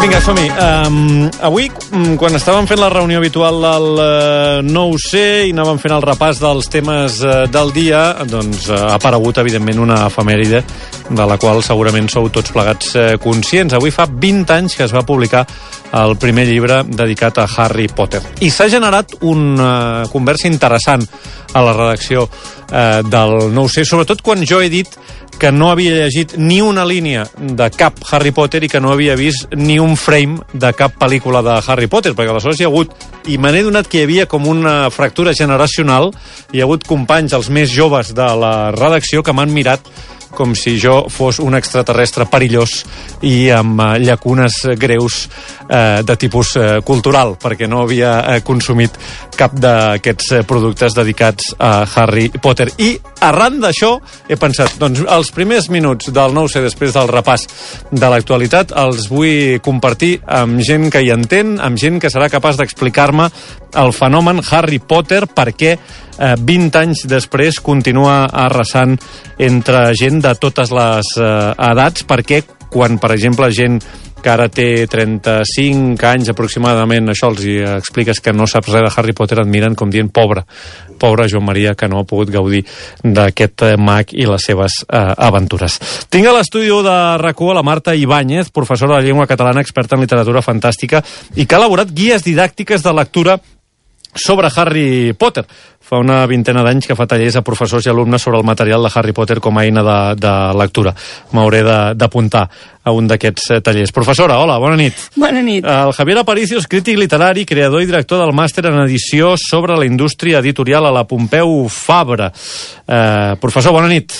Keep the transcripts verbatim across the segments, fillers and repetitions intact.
Vinga, som-hi. Um, avui, quan estàvem fent la reunió habitual del uh, nou C i anàvem fent el repàs dels temes uh, del dia, doncs uh, ha aparegut, evidentment, una efemèride de la qual segurament sou tots plegats uh, conscients. Avui fa vint anys que es va publicar el primer llibre dedicat a Harry Potter. I s'ha generat una uh, conversa interessant a la redacció uh, del nou C, sobretot quan jo he dit que no havia llegit ni una línia de cap Harry Potter i que no havia vist ni un frame de cap pel·lícula de Harry Potter, perquè aleshores hi ha hagut, i me n'he donat que hi havia com una fractura generacional, hi ha hagut companys, els més joves de la redacció, que m'han mirat com si jo fos un extraterrestre perillós i amb uh, llacunes greus uh, de tipus uh, cultural, perquè no havia uh, consumit cap d'aquests uh, productes dedicats a Harry Potter. I arran d'això he pensat, doncs els primers minuts del nou C després del repàs de l'actualitat els vull compartir amb gent que hi entén, amb gent que serà capaç d'explicar-me el fenomen Harry Potter, perquè eh, vint anys després continua arrasant entre gent de totes les eh, edats, perquè quan, per exemple, gent que ara té trenta-cinc anys aproximadament, això els hi expliques que no saps res de Harry Potter, et miren com dient pobre, pobre Joan Maria, que no ha pogut gaudir d'aquest mag i les seves eh, aventures. Tinc a l'estudi de RAC1 a la Marta Ibáñez, professora de llengua catalana, experta en literatura fantàstica i que ha elaborat guies didàctiques de lectura sobre Harry Potter. Fa una vintena d'anys que fa tallers a professors i alumnes sobre el material de Harry Potter com a eina de, de lectura. M'hauré d'apuntar a un d'aquests tallers. Professora, hola, bona nit. Bona nit. El Javier Aparicio és crític literari, creador i director del màster en edició sobre la indústria editorial a la Pompeu Fabra. Eh, professor, bona nit.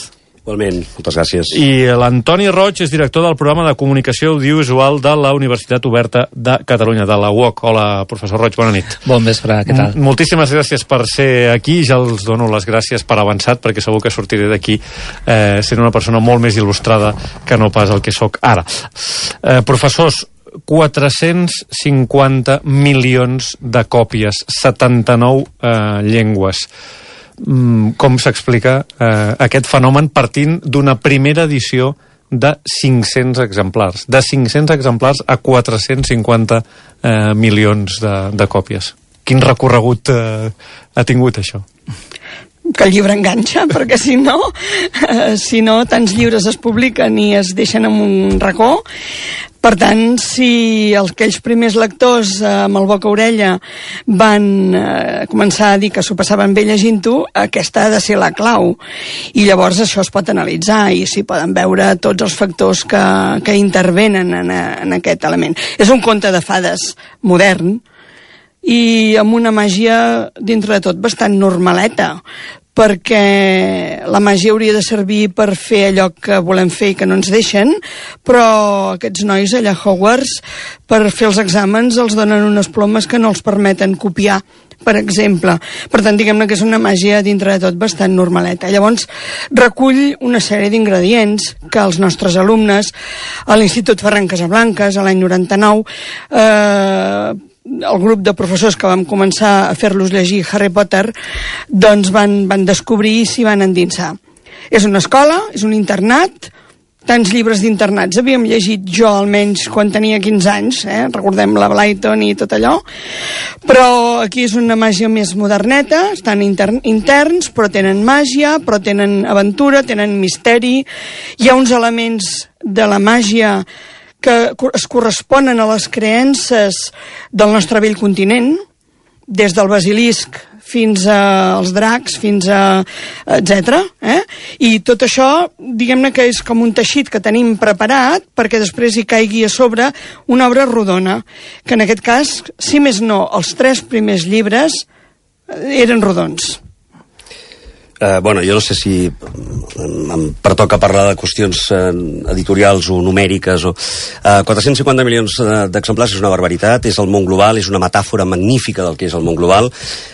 Igualment, moltes gràcies. I l'Antoni Roig és director del programa de comunicació audiovisual de la Universitat Oberta de Catalunya, de la U O C. Hola, professor Roig, bona nit. Bon vespre, què tal? Moltíssimes gràcies per ser aquí. Ja els dono les gràcies per avançat, perquè segur que sortiré d'aquí eh, sent una persona molt més il·lustrada que no pas el que sóc ara. Eh, professors, quatre-cents cinquanta milions de còpies, setanta-nou eh, llengües. Com s'explica eh, aquest fenomen partint d'una primera edició de cinc-cents exemplars, de cinc-cents exemplars a quatre-cents cinquanta eh, milions de, de còpies? Quin recorregut eh, ha tingut això? Que el llibre enganxa, perquè si no, eh, si no, tants llibres es publiquen i es deixen en un racó. Per tant, si aquells primers lectors eh, amb el boca-orella van eh, començar a dir que s'ho passaven bé llegint-ho, aquesta ha de ser la clau. I llavors això es pot analitzar i s'hi poden veure tots els factors que, que intervenen en, en aquest element. És un conte de fades modern, i amb una màgia, dintre de tot, bastant normaleta, perquè la màgia hauria de servir per fer allò que volem fer i que no ens deixen, però aquests nois allà a Hogwarts, per fer els exàmens, els donen unes plomes que no els permeten copiar, per exemple. Per tant, diguem-ne que és una màgia, dintre de tot, bastant normaleta. Llavors, recull una sèrie d'ingredients que els nostres alumnes a l'Institut Ferran Casablancas, a l'any noranta-nou, eh, el grup de professors que vam començar a fer-los llegir Harry Potter, doncs van, van descobrir i s'hi van endinsar. És una escola, és un internat, tants llibres d'internats havíem llegit jo almenys quan tenia quinze anys, eh? Recordem la Blyton i tot allò, però aquí és una màgia més moderneta, estan intern, interns, però tenen màgia, però tenen aventura, tenen misteri, hi ha uns elements de la màgia que es corresponen a les creences del nostre vell continent, des del basilisc fins als dracs, fins a etcètera. Eh? I tot això, diguem-ne que és com un teixit que tenim preparat perquè després hi caigui a sobre una obra rodona, que en aquest cas, si més no, els tres primers llibres eren rodons. Uh, bueno, jo no sé si em pertoca parlar de qüestions uh, editorials o numèriques o... Uh, quatre-cents cinquanta milions d'exemplars és una barbaritat, és el món global, és una metàfora magnífica del que és el món global.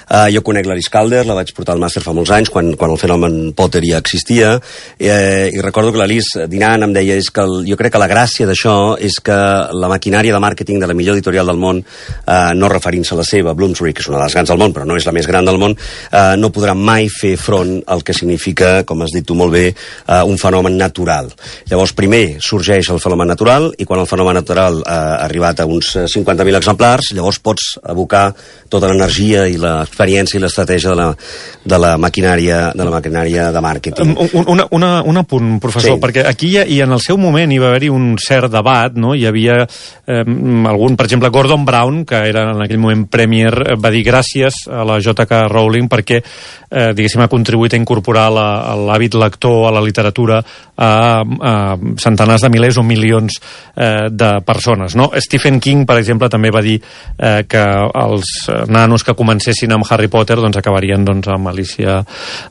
Uh, jo conec l'Alice Calder, la vaig portar al màster fa molts anys, quan, quan el fenomen Potter ja existia, eh, i recordo que l'Alice, dinant, em deia és que el, jo crec que la gràcia d'això és que la maquinària de màrqueting de la millor editorial del món, uh, no referint-se a la seva, Bloomsbury, que és una de les grans del món, però no és la més gran del món, uh, no podrà mai fer front el que significa, com has dit tu molt bé, uh, un fenomen natural. Llavors, primer sorgeix el fenomen natural, i quan el fenomen natural uh, ha arribat a uns cinquanta mil exemplars, llavors pots abocar tota l'energia i l'experiència i l'estratègia de la, de la maquinària de la maquinària de màrqueting. Un, una, una, un apunt, professor, sí. Perquè aquí hi ha, i en el seu moment hi va haver-hi un cert debat, no? Hi havia eh, algun, per exemple, Gordon Brown, que era en aquell moment Premier, va dir gràcies a la J K Rowling perquè, eh, diguéssim, ha contribuït a incorporar l'hàbit lector a la literatura a, a centenars de milers o milions eh, de persones, no? Stephen King, per exemple, també va dir eh, que els nanos que comencessin amb Harry Potter doncs acabarien doncs, amb Alicia,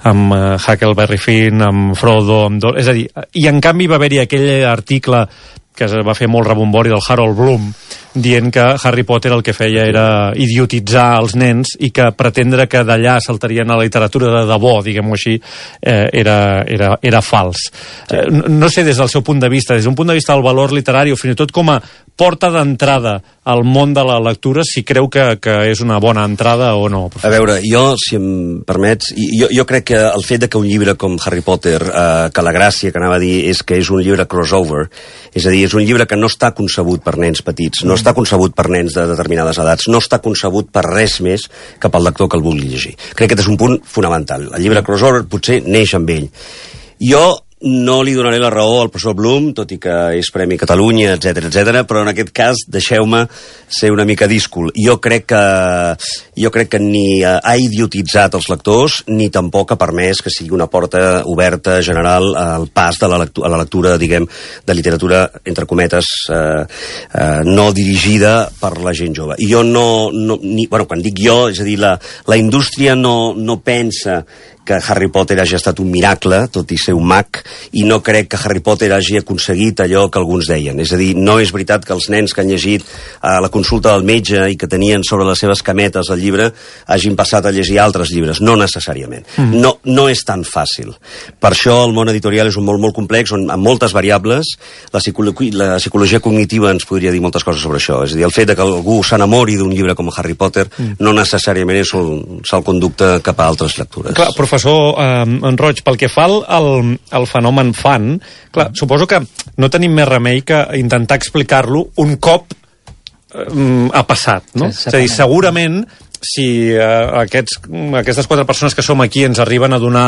amb uh, Huckleberry Finn, amb Frodo, amb Dor... És a dir, i en canvi va haver-hi aquell article que es va fer molt rebombori del Harold Bloom, dient que Harry Potter el que feia era idiotitzar els nens i que pretendre que d'allà saltarien a la literatura de debò, diguem-ho així, eh, era, era, era fals. Sí. Eh, no sé, des del seu punt de vista, des d'un punt de vista del valor literari o fins i tot com a porta d'entrada al món de la lectura, si creu que, que és una bona entrada o no. A veure, jo, si em permets, jo, jo crec que el fet de que un llibre com Harry Potter, eh, que la gràcia que anava a dir és que és un llibre crossover, és a dir, és un llibre que no està concebut per nens petits, no està concebut per nens de determinades edats, no està concebut per res més que pel lector que el vulgui llegir. Crec que aquest és un punt fonamental. El llibre crossover potser neix amb ell. Jo no li donaré la raó al professor Bloom, tot i que és Premi Catalunya, etcètera, etcètera, però en aquest cas deixeu-me ser una mica díscol. Jo crec que jo crec que ni ha idiotitzat els lectors, ni tampoc ha permès que sigui una porta oberta general al pas de la lectura, a la lectura, diguem, de literatura, entre cometes, eh, eh, no dirigida per la gent jove. I jo no... no ni, bueno, quan dic jo, és a dir, la, la indústria no, no pensa que Harry Potter hagi estat un miracle, tot i ser un mag, i no crec que Harry Potter hagi aconseguit allò que alguns deien. És a dir, no és veritat que els nens que han llegit a la consulta del metge i que tenien sobre les seves cametes el llibre hagin passat a llegir altres llibres. No necessàriament. Mm. No, no és tan fàcil. Per això el món editorial és un món molt complex, on amb moltes variables, la, psicolo la psicologia cognitiva ens podria dir moltes coses sobre això. És a dir, el fet de que algú s'enamori d'un llibre com Harry Potter mm. no necessàriament és un salconducte cap a altres lectures. Clar, professor eh, en Roig, pel que fa al, al, al fenomen fan, clar, suposo que no tenim més remei que intentar explicar-lo un cop eh, ha passat, no? Sí, és a dir, segurament si eh, aquests, aquestes quatre persones que som aquí ens arriben a donar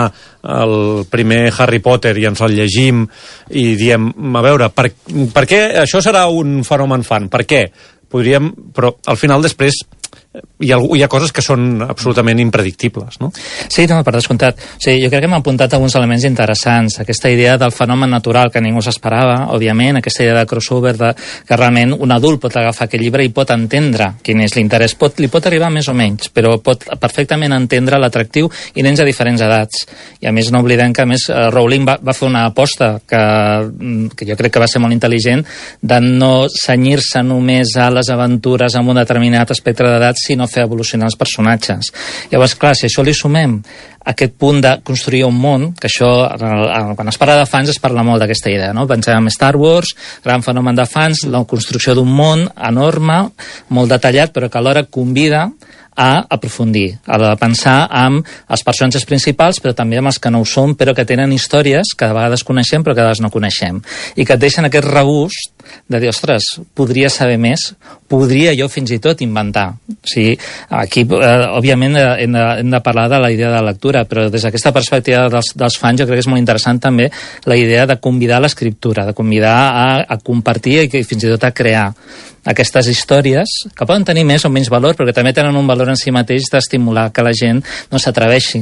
el primer Harry Potter i ens el llegim i diem, a veure, per, per què això serà un fenomen fan? Per què? Podríem, però al final després hi ha, hi ha coses que són absolutament impredictibles, no? Sí, no, per descomptat. O sigui, jo crec que hem apuntat alguns elements interessants. Aquesta idea del fenomen natural que ningú s'esperava, òbviament, aquesta idea de crossover, de, que realment un adult pot agafar aquest llibre i pot entendre quin és l'interès. Pot, li pot arribar més o menys, però pot perfectament entendre l'atractiu i nens a diferents edats. I a més no oblidem que a més Rowling va, va fer una aposta que, que jo crec que va ser molt intel·ligent, de no cenyir-se només a les aventures amb un determinat espectre d'edat, sinó fer evolucionar els personatges. Llavors, clar, si això li sumem aquest punt de construir un món, que això, quan es parla de fans, es parla molt d'aquesta idea, no? Pensem en Star Wars, gran fenomen de fans, la construcció d'un món enorme, molt detallat, però que alhora convida a aprofundir, a pensar amb els personatges principals, però també amb els que no ho són, però que tenen històries que de vegades coneixem, però que de vegades no coneixem. I que et deixen aquest regust de dir, ostres, podria saber més, podria jo fins i tot inventar. O sigui, aquí, eh, òbviament, hem de, hem de parlar de la idea de lectura, però des d'aquesta perspectiva dels, dels fans jo crec que és molt interessant també la idea de convidar a l'escriptura, de convidar a, a compartir i fins i tot a crear aquestes històries, que poden tenir més o menys valor, però que també tenen un valor en si mateix d'estimular que la gent no s'atreveixi.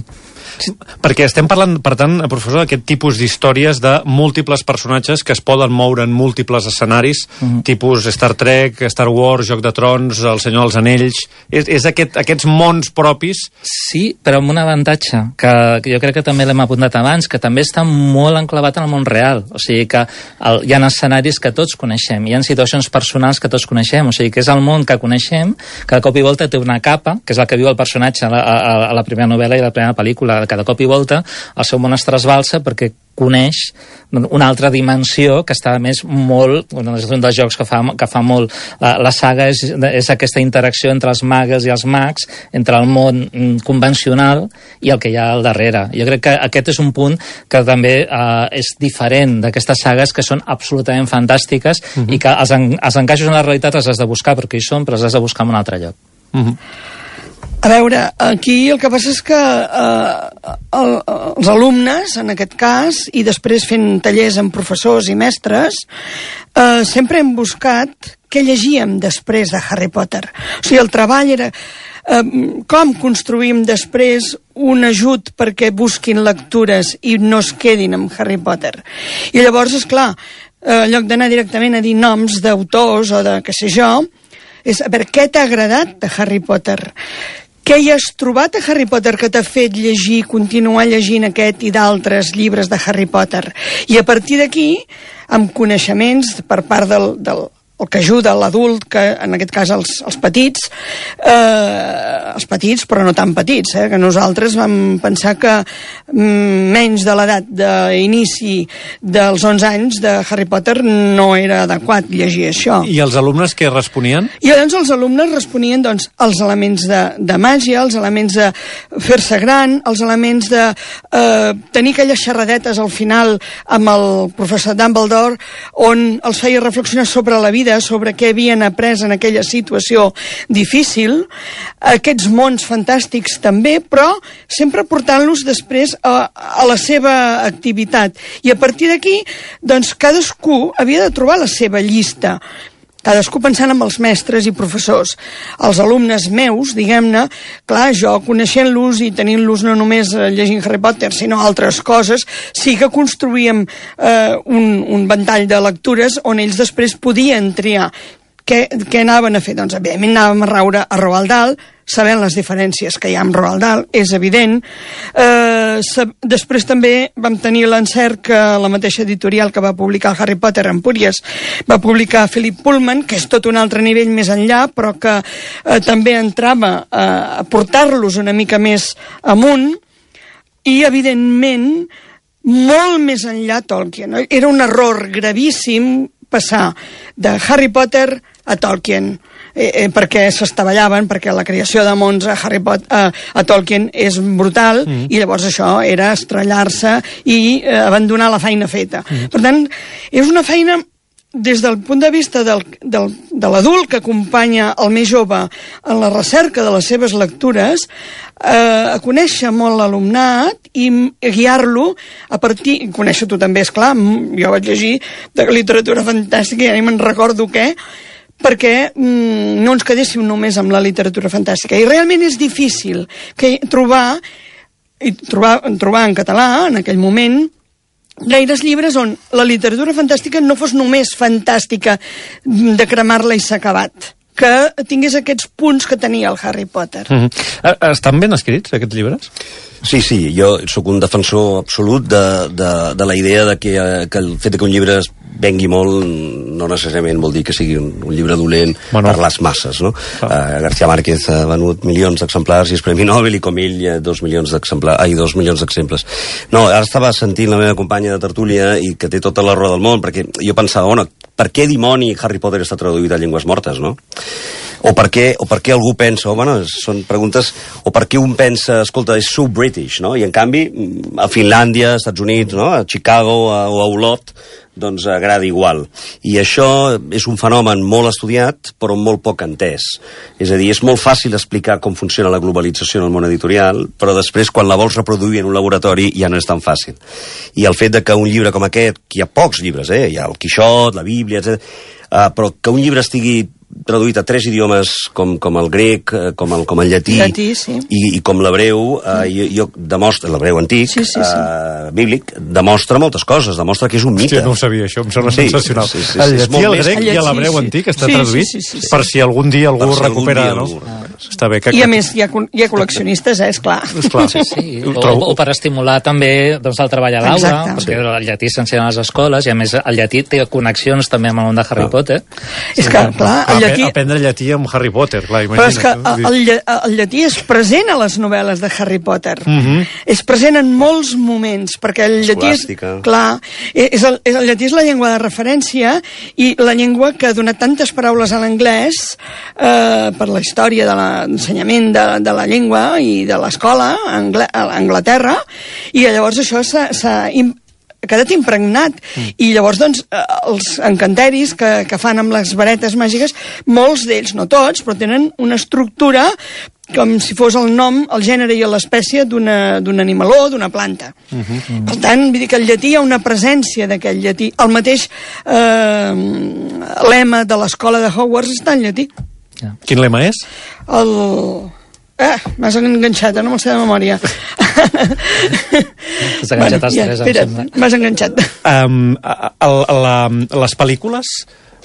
Perquè estem parlant, per tant, professor, d'aquest tipus d'històries de múltiples personatges que es poden moure en múltiples escenaris, mm-hmm. tipus Star Trek, Star Wars, Joc de Trons, El Senyor dels Anells... És, és aquest, aquests mons propis? Sí, però amb un avantatge, que, que jo crec que també l'hem apuntat abans, que també està molt enclavat en el món real. O sigui que el, hi ha escenaris que tots coneixem, hi ha situacions personals que tots coneixem, o sigui que és el món que coneixem, que de cop i volta té una capa, que és el que viu el personatge a la, a, a la primera novel·la i a la primera pel·lícula. Cada cop i volta el seu món es trasbalsa perquè coneix una altra dimensió que està, a més, molt... Bueno, és un dels jocs que fa, que fa molt la, la saga, és, és aquesta interacció entre els magues i els mags, entre el món convencional i el que hi ha al darrere. Jo crec que aquest és un punt que també eh, és diferent d'aquestes sagues que són absolutament fantàstiques uh-huh. i que els, en, els encaixos en la realitat els has de buscar perquè hi són, però els has de buscar en un altre lloc. Uh-huh. A veure, aquí el que passa és que eh, el, els alumnes, en aquest cas, i després fent tallers amb professors i mestres, eh, sempre hem buscat què llegíem després de Harry Potter. O sigui, el treball era eh, com construïm després un ajut perquè busquin lectures i no es quedin amb Harry Potter. I llavors, esclar, eh, en lloc d'anar directament a dir noms d'autors o de què sé jo, és a veure, què t'ha agradat de Harry Potter? Què hi has trobat a Harry Potter que t'ha fet llegir, continuar llegint aquest i d'altres llibres de Harry Potter? I a partir d'aquí, amb coneixements per part del, del el que ajuda l'adult, que en aquest cas els, els petits, eh, els petits però no tan petits, eh, que nosaltres vam pensar que mm, menys de l'edat d'inici dels onze anys de Harry Potter no era adequat llegir això. I els alumnes què responien? I llavors els alumnes responien doncs, els elements de, de màgia, els elements de fer-se gran, els elements de eh, tenir aquelles xerradetes al final amb el professor Dumbledore on els feia reflexionar sobre la vida, sobre què havien après en aquella situació difícil, aquests mons fantàstics també, però sempre portant-los després a, a la seva activitat. I a partir d'aquí, doncs, cadascú havia de trobar la seva llista. Cadascú pensant en els mestres i professors. Els alumnes meus, diguem-ne, clar, jo coneixent-los i tenint-los no només llegint Harry Potter, sinó altres coses, sí que construïem eh, un, un ventall de lectures on ells després podien triar. Què, què anaven a fer? Doncs, evidentment, anàvem a raure a Roald Dahl, sabent les diferències que hi ha amb Roald Dahl, és evident. Eh, sab... Després també vam tenir l'encert que la mateixa editorial que va publicar Harry Potter, Empúries, va publicar Philip Pullman, que és tot un altre nivell més enllà, però que eh, també entrava a, a portar-los una mica més amunt, i, evidentment, molt més enllà Tolkien. Era un error gravíssim passar de Harry Potter a Tolkien, eh, eh, perquè s'estavellaven, perquè la creació de mons a, Harry Potter, eh, a Tolkien és brutal, mm. i llavors això era estrellar-se i eh, abandonar la feina feta. Mm. Per tant, és una feina des del punt de vista del, del, de l'adult que acompanya el més jove en la recerca de les seves lectures, eh, a conèixer molt l'alumnat i guiar-lo a partir... Conèixer tu també, esclar, jo vaig llegir de literatura fantàstica i ja ni me'n recordo què, perquè mm, no ens quedéssim només amb la literatura fantàstica. I realment és difícil que trobar, i trobar, trobar en català, en aquell moment, gaires llibres on la literatura fantàstica no fos només fantàstica de cremar-la i s'ha acabat, que tingués aquests punts que tenia el Harry Potter. Mm-hmm. Estan ben escrits, aquests llibres? Sí, sí, jo sóc un defensor absolut de, de, de la idea de que, que el fet de que un llibre es vengui molt no necessàriament vol dir que sigui un, un llibre dolent bueno. per les masses, no? Ah. Uh, García Márquez ha venut milions d'exemplars i és Premi Nobel, i com ell uh, dos milions d'exemplars, ai, dos milions d'exemples. No, ara estava sentint la meva companya de tertúlia i que té tota la raó del món, perquè jo pensava, bueno, per què dimoni Harry Potter està traduït a llengües mortes, no? O per què, o per què algú pensa, o, bueno, són preguntes, o per què un pensa, escolta, és so British, no? I en canvi, a Finlàndia, als Estats Units, no? A Chicago a, o a Olot, doncs agrada igual. I això és un fenomen molt estudiat, però molt poc entès. És a dir, és molt fàcil explicar com funciona la globalització en el món editorial, però després, quan la vols reproduir en un laboratori, ja no és tan fàcil. I el fet de que un llibre com aquest, que hi ha pocs llibres, eh? Hi ha el Quixot, la Bíblia, etcètera, uh, però que un llibre estigui traduït a tres idiomes com, com el grec, com el, com el llatí, llatí sí. i, i com l'hebreu, eh, jo, jo demostra, l'hebreu antic, sí, sí, sí. Eh, bíblic, demostra moltes coses, demostra que és un mite. Hòstia, no ho sabia, això em sembla sí, sensacional. Sí, sí, sí, el llatí, el grec i l'hebreu sí, antic està sí, traduït sí, sí, sí, sí. per si algun dia algú si recupera, algun dia, no? algú... està bé que... I a més hi ha, hi ha col·leccionistes, eh, esclar. Esclar. Sí, sí. O, o per estimular també doncs, el treball a l'aula, perquè el llatí s'ensenya a les escoles, i a més el llatí té connexions també amb el món de Harry Potter. És que, clar, el llatí... Aprendre llatí amb Harry Potter, clar, imagina't. Però és que el, el llatí és present a les novel·les de Harry Potter. Uh-huh. És present en molts moments, perquè el llatí és... Clar, és el, és el llatí és la llengua de referència i la llengua que ha donat tantes paraules a l'anglès eh, per la història de l'ensenyament de, de la llengua i de l'escola a Anglaterra, i llavors això s'ha quedat impregnat. Mm. I llavors, doncs, els encanteris que, que fan amb les varetes màgiques, molts d'ells, no tots, però tenen una estructura com si fos el nom, el gènere i l'espècie d'un animaló, d'una planta. Uh -huh, uh -huh. Per tant, vull dir que al llatí hi ha una presència d'aquell llatí. El mateix eh, lema de l'escola de Hogwarts està en llatí. Yeah. Quin lema és? El... Eh, m'has enganxat, no me'l sé de memòria. T'has enganxat bueno, els ja, tres, espera, em sembla. m'has enganxat. Um, el, la, les pel·lícules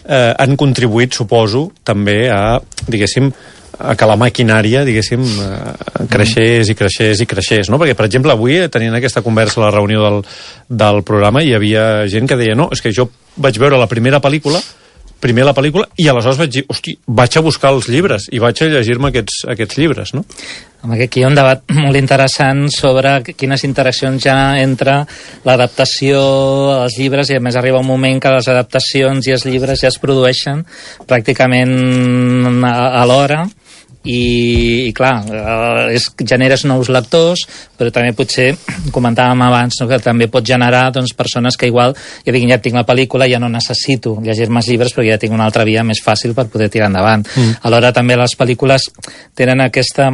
eh, han contribuït, suposo, també a, diguéssim, a que la maquinària, diguéssim, eh, creixés i creixés i creixés, no? Perquè, per exemple, avui, tenint aquesta conversa a la reunió del, del programa, hi havia gent que deia, no, és que jo vaig veure la primera pel·lícula, primer la pel·lícula, i aleshores vaig dir, hosti, vaig a buscar els llibres, i vaig a llegir-me aquests, aquests llibres, no? Aquí hi ha un debat molt interessant sobre quines interaccions hi ha entre l'adaptació als llibres, i a més arriba un moment que les adaptacions i els llibres ja es produeixen pràcticament alhora, i, i clar, és, generes nous lectors, però també potser, comentàvem abans, no, que també pot generar doncs, persones que igual ja diguin, ja tinc la pel·lícula, ja no necessito llegir-me els llibres perquè ja tinc una altra via més fàcil per poder tirar endavant. Mm. Alhora també les pel·lícules tenen aquesta...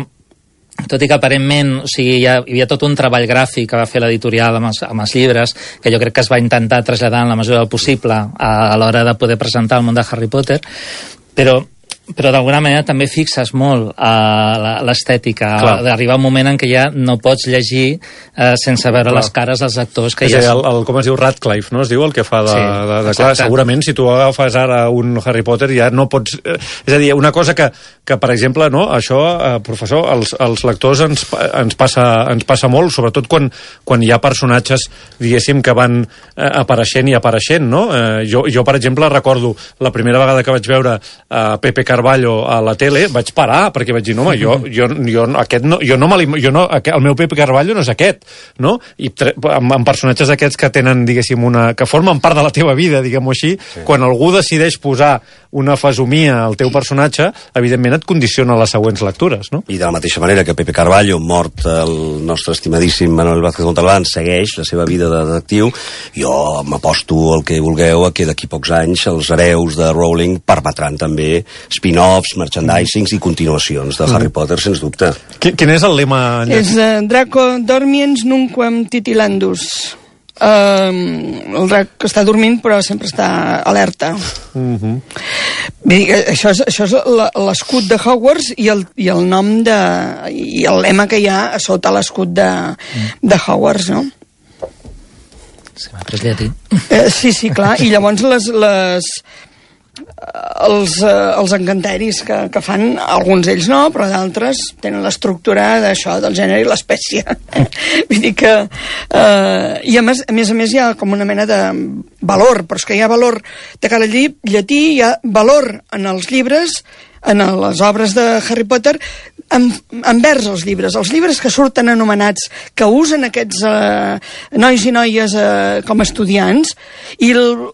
Tot i que aparentment, o sigui, hi, ha, hi havia tot un treball gràfic que va fer l'editorial amb, amb els llibres, que jo crec que es va intentar traslladar en la mesura del possible a, a l'hora de poder presentar el món de Harry Potter, però però d'alguna manera també fixes molt a l'estètica, d'arribar un moment en què ja no pots llegir eh, sense veure clar. les cares dels actors que és ja el, el, com es diu, Radcliffe, no? Es diu el que fa de... Sí, de, de clar, segurament, si tu agafes ara un Harry Potter ja no pots... Eh, és a dir, una cosa que, que per exemple, no, això, eh, professor, els, els lectors ens, ens, passa, ens passa molt, sobretot quan, quan hi ha personatges, diguéssim, que van eh, apareixent i apareixent, no? Eh, jo, jo, per exemple, recordo la primera vegada que vaig veure eh, Pepe Carballo a la tele, vaig parar, perquè vaig dir, no, home, jo, jo, jo, aquest no, jo no, jo no, el meu Pepe Carballo no és aquest, no? I amb, amb personatges aquests que tenen, diguéssim, una, que formen part de la teva vida, diguem-ho així, sí. Quan algú decideix posar una fesomia al teu personatge, evidentment et condiciona les següents lectures, no? I de la mateixa manera que Pepe Carballo, mort el nostre estimadíssim Manuel Vázquez Montalbán, segueix la seva vida de detectiu, jo m'aposto el que vulgueu a que d'aquí pocs anys els hereus de Rowling permetran també spin-offs, merchandisings i continuacions de Harry Potter, sens dubte. Quin és el lema? És uh, Draco dormiens nunquam titilandus. Uh, el drac que està dormint però sempre està alerta. Uh -huh. Bé, això és, això és l'escut de Hogwarts i el, i el nom de... i el lema que hi ha a sota l'escut de, de Hogwarts, no? Se m'ha pres llatí. Uh, sí, sí, clar. I llavors les... les els, eh, els encanteris que, que fan, alguns d'ells no, però d'altres tenen l'estructura d'això, del gènere i l'espècie. Vull dir que... Eh, I a més, a més a més hi ha com una mena de valor, però és que hi ha valor de cara al llatí, hi ha valor en els llibres, en les obres de Harry Potter, en, envers els llibres. Els llibres que surten anomenats, que usen aquests eh, nois i noies eh, com a estudiants, i el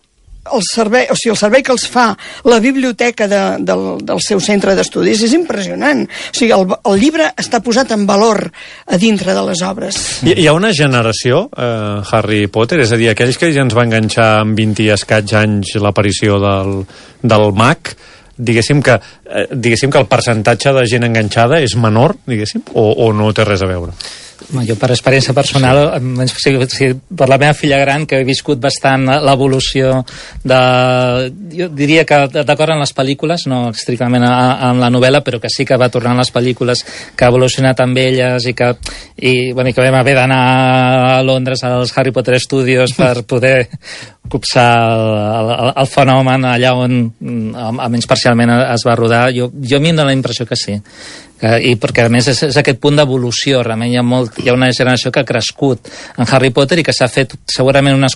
el servei, o sigui, el servei que els fa la biblioteca de, del, del seu centre d'estudis és impressionant. O sigui, el, el llibre està posat en valor a dintre de les obres. Hi, hi ha una generació, eh, Harry Potter, és a dir, aquells que ja ens va enganxar amb vint i escaig anys l'aparició del, del mag, diguéssim que, eh, diguéssim que el percentatge de gent enganxada és menor, diguéssim, o, o no té res a veure? Jo per experiència personal, sí. o sigui, per la meva filla gran, que he viscut bastant l'evolució de... Jo diria que d'acord amb les pel·lícules, no estrictament amb la novel·la, però que sí que va tornar a les pel·lícules, que ha evolucionat amb elles i que, i, bueno, i que vam haver d'anar a Londres als Harry Potter Studios per poder copsar el, el, el fenomen allà on almenys parcialment es va rodar. Jo, jo a mi em dóna la impressió que sí. Que, i perquè a més és, és aquest punt d'evolució. Realment hi ha, molt, hi ha una generació que ha crescut en Harry Potter i que s'ha fet segurament una,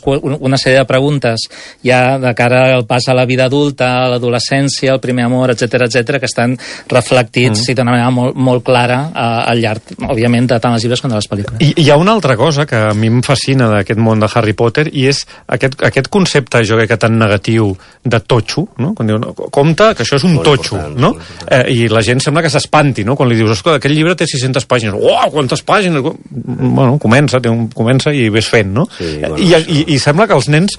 una sèrie de preguntes ja de cara al pas a la vida adulta, a l'adolescència, al primer amor, etc etc, que estan reflectits mm. i d'una manera molt, molt clara uh, al llarg, òbviament, de tant els llibres com de les pel·lícules. I hi ha una altra cosa que a mi em fascina d'aquest món de Harry Potter i és aquest, aquest concepte, jo crec que tan negatiu, de totxo, no? Quan diuen, compte que això és un molt totxo, no? Eh, I la gent sembla que s'espanti, no? Quan li dius, escolta, aquest llibre té sis-centes pàgines. Uau, quantes pàgines! Bueno, comença, té un, comença i ves fent, no? Sí, bueno, I, i, I sembla que els nens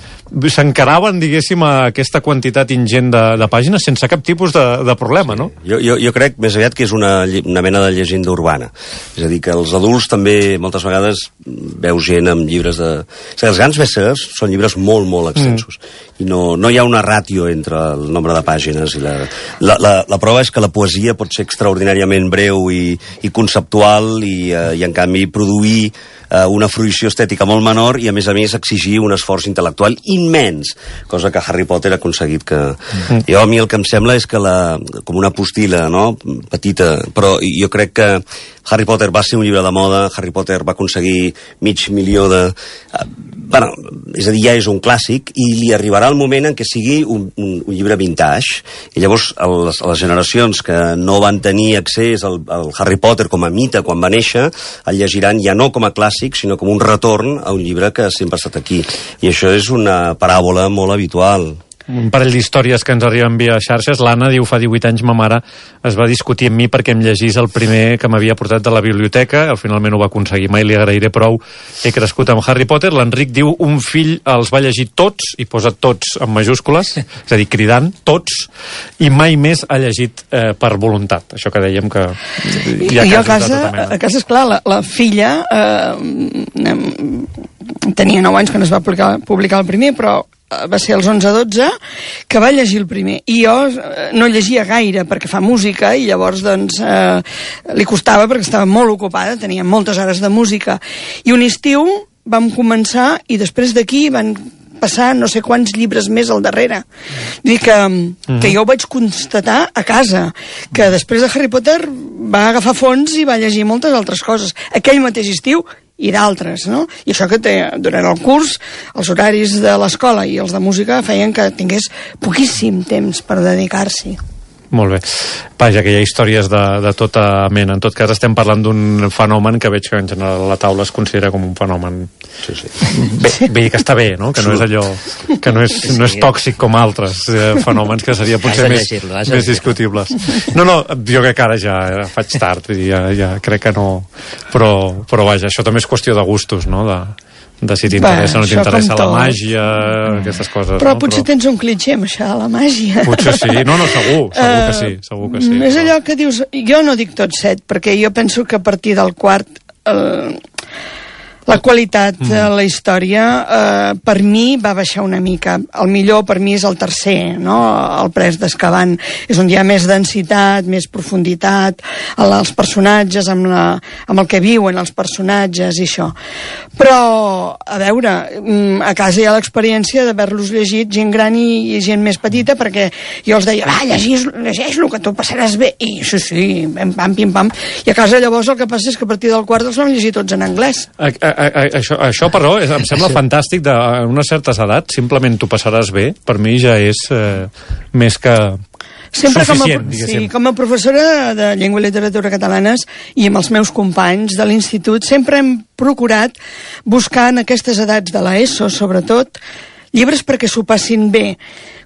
s'encaraven, diguéssim, a aquesta quantitat ingent de, de pàgines sense cap tipus de, de problema, sí. No? Jo, jo, jo crec més aviat que és una, una mena de llegenda urbana. És a dir, que els adults també moltes vegades veus gent amb llibres de... O sigui, els grans bestsellers són llibres molt, molt extensos. Mm. I no, no hi ha una ràtio entre el nombre de pàgines i la, la, la, la prova és que la poesia pot ser extraordinàriament breu i, i conceptual i, uh, i en canvi produir uh, una fruïció estètica molt menor i a més a més exigir un esforç intel·lectual immens, cosa que Harry Potter ha aconseguit que... Mm-hmm. Jo a mi el que em sembla és que la, com una postila, no?, petita, però jo crec que Harry Potter va ser un llibre de moda, Harry Potter va aconseguir mig milió de... Uh, bueno, és a dir, ja és un clàssic i li arribarà el moment en què sigui un, un, un llibre vintage i llavors a les, a les generacions que no van tenir accés al, al Harry Potter com a mite quan va néixer, el llegiran ja no com a clàssic, sinó com un retorn a un llibre que sempre ha estat aquí. I això és una paràbola molt habitual. Un parell d'històries que ens arriben via xarxes. L'Anna diu, fa divuit anys ma mare es va discutir amb mi perquè em llegís el primer que m'havia portat de la biblioteca, al finalment ho va aconseguir, mai li agrairé prou, he crescut amb Harry Potter. L'Enric diu, un fill els va llegir tots, i posa tots en majúscules, és a dir, cridant, tots, i mai més ha llegit eh, per voluntat, això que dèiem que hi ha I casos a casa, de tota mena. A casa, esclar, la, la filla eh, tenia nou anys quan es va publicar, publicar el primer, però va ser als onze dotze que va llegir el primer i jo no llegia gaire perquè fa música i llavors doncs eh, li costava perquè estava molt ocupada, tenia moltes hores de música i un estiu vam començar i després d'aquí van passar no sé quants llibres més al darrere. Vull dir que, uh-huh. que jo ho vaig constatar a casa, que després de Harry Potter va agafar fons i va llegir moltes altres coses. Aquell mateix estiu i d'altres, no? I això que té, durant el curs, els horaris de l'escola i els de música feien que tingués poquíssim temps per dedicar-s'hi. Molt bé. Vaja, que hi ha històries de, de tota mena. En tot cas, estem parlant d'un fenomen que veig que en general la taula es considera com un fenomen... Sí, sí. Bé, bé que està bé, no? Que no és allò... Que no és, no és tòxic com altres eh, fenòmens que seria potser més, més discutibles. No, no, jo crec que ara ja faig tard, vull dir, ja, ja crec que no... Però, però vaja, això també és qüestió de gustos, no? De... de si t'interessa o no t'interessa la màgia, mm. aquestes coses. Però no? potser però... tens un clitxé amb això, la màgia. Potser sí, no, no, segur, segur uh, que sí, segur que sí. És però... allò que dius, jo no dic tot set, perquè jo penso que a partir del quart eh, la qualitat de la història eh, per mi va baixar una mica. El millor per mi és el tercer, no? El Pres d'Azkaban. És on hi ha més densitat, més profunditat, els personatges, amb, la, amb el que viuen els personatges i això. Però, a veure, a casa hi ha l'experiència d'haver-los llegit gent gran i, i gent més petita, perquè jo els deia, va, llegeix, llegeix-lo, que tu passaràs bé. I sí, sí, pam, pam, pim, pam. I a casa llavors el que passa és que a partir del quart els vam llegir tots en anglès. A, a, a, això, això, però, és, em sembla fantàstic. De, a unes certes edats, simplement tu passaràs bé. Per mi ja és eh, més que... Sempre suficient, com a, sí, com a professora de llengua i literatura catalanes i amb els meus companys de l'institut sempre hem procurat buscar en aquestes edats de l'ESO, sobretot, llibres perquè s'ho passin bé.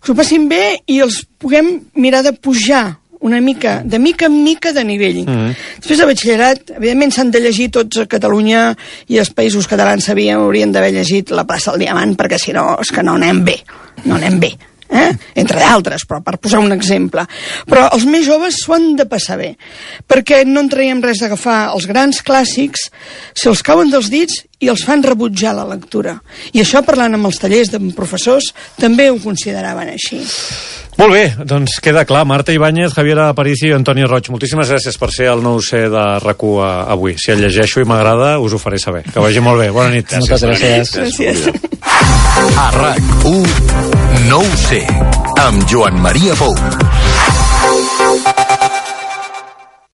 S'ho passin bé i els puguem mirar de pujar una mica, de mica en mica de nivell. Mm. Després de batxillerat, evidentment s'han de llegir tots a Catalunya i els països catalans sabíem, haurien d'haver llegit La plaça del Diamant, perquè si no, és que no anem bé, no anem bé. Eh? Entre d'altres, però per posar un exemple. Però els més joves s'ho han de passar bé, perquè no en traiem res d'agafar els grans clàssics, se'ls cauen dels dits i els fan rebutjar la lectura. I això, parlant amb els tallers de professors, també ho consideraven així. Molt bé, doncs queda clar. Marta Ibáñez, Javier Aparici i Antoni Roig, moltíssimes gràcies per ser el nou C de R A C U avui. Si el llegeixo i m'agrada, us ho faré saber. Que vagi molt bé. Bona nit. Gràcies. Moltes gràcies. Gràcies. A RAC u, no ho sé, amb Joan Maria Pou.